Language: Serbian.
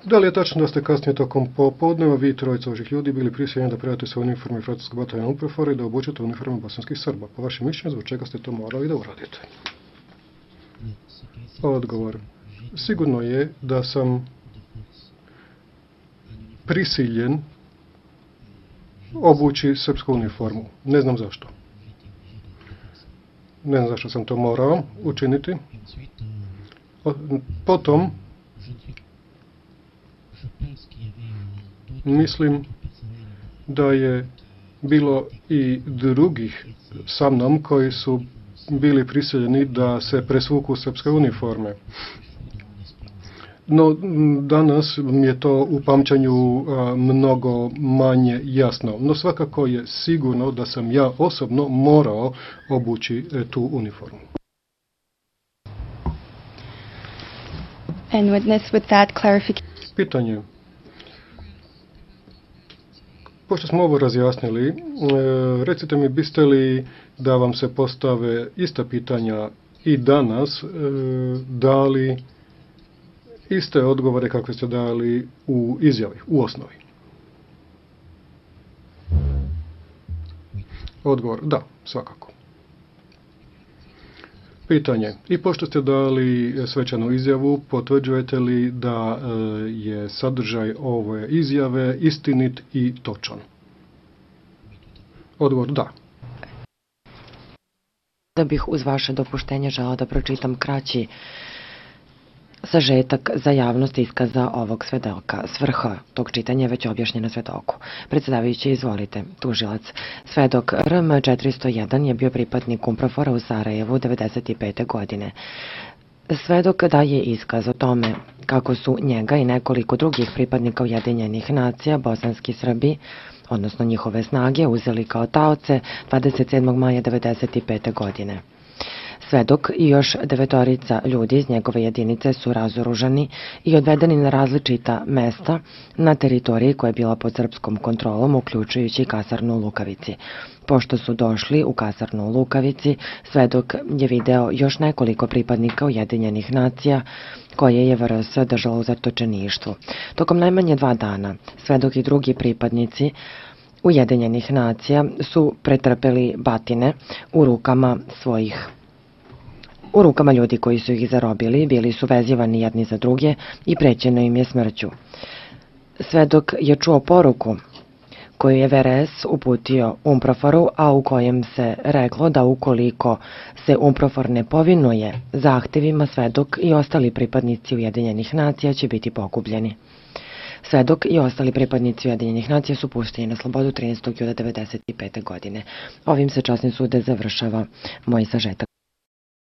Da li je tačno da ste kasnije tokom popodneva vi trojica ovih ljudi bili prisiljeni da predate svoje uniforme francuskog bataljona UNPROFOR i da obučete uniforme bosanskih Srba? Po vašem mišljenju, zbog čega ste to morali da uradite? Odgovor. Sigurno je da sam prisiljen obući srpsku uniformu. Ne znam zašto. Ne znam zašto sam to morao učiniti. Potom mislim da je bilo i drugih sa mnom koji su bili prisiljeni da se presvuku srpske uniforme. No, danas mi je to u pamćanju mnogo manje jasno. No, svakako je sigurno da sam ja osobno morao obući tu uniformu. And with that clarification... Pitanje. Pošto smo ovo razjasnili, recite mi, biste li da vam se postave ista pitanja i danas dali iste odgovore kakve ste dali u izjavi, u osnovi? Odgovor, da, svakako. Pitanje. I pošto ste dali svečanu izjavu, potvrđujete li da je sadržaj ove izjave istinit i točan? Odgovor, da. Da bih uz vaše dopuštenje želao da pročitam kraći sažetak za javnost iskaza ovog svedoka. Svrha tog čitanja je već objašnjena svedoku. Predsjedavajući, izvolite, tužilac. Svedok RM 401 je bio pripadnik UNPROFOR-a u Sarajevu 1995. godine. Svedok daje iskaz o tome kako su njega i nekoliko drugih pripadnika Ujedinjenih nacija, bosanski Srbi, odnosno njihove snage, uzeli kao taoce 27. maja 1995. godine. Svedok i još 9 ljudi iz njegove jedinice su razoružani i odvedeni na različita mesta na teritoriji koja je bila pod srpskom kontrolom, uključujući kasarnu u Lukavici. Pošto su došli u kasarnu u Lukavici, svedok je video još nekoliko pripadnika Ujedinjenih nacija koje je VRS držala u zatočeništvu. Tokom najmanje 2 dana, svedok i drugi pripadnici Ujedinjenih nacija su pretrpeli batine u rukama ljudi koji su ih zarobili, bili su vezivani jedni za druge i prećeno im je smrću. Svedok je čuo poruku koju je VRS uputio UNPROFOR-u, a u kojem se reklo da ukoliko se UNPROFOR ne povinuje zahtevima, svedok i ostali pripadnici Ujedinjenih nacija će biti pogubljeni. Svedok i ostali pripadnici Ujedinjenih nacija su pušteni na slobodu 13. jula 1995. godine. Ovim se časnim sude završava moj sažetak.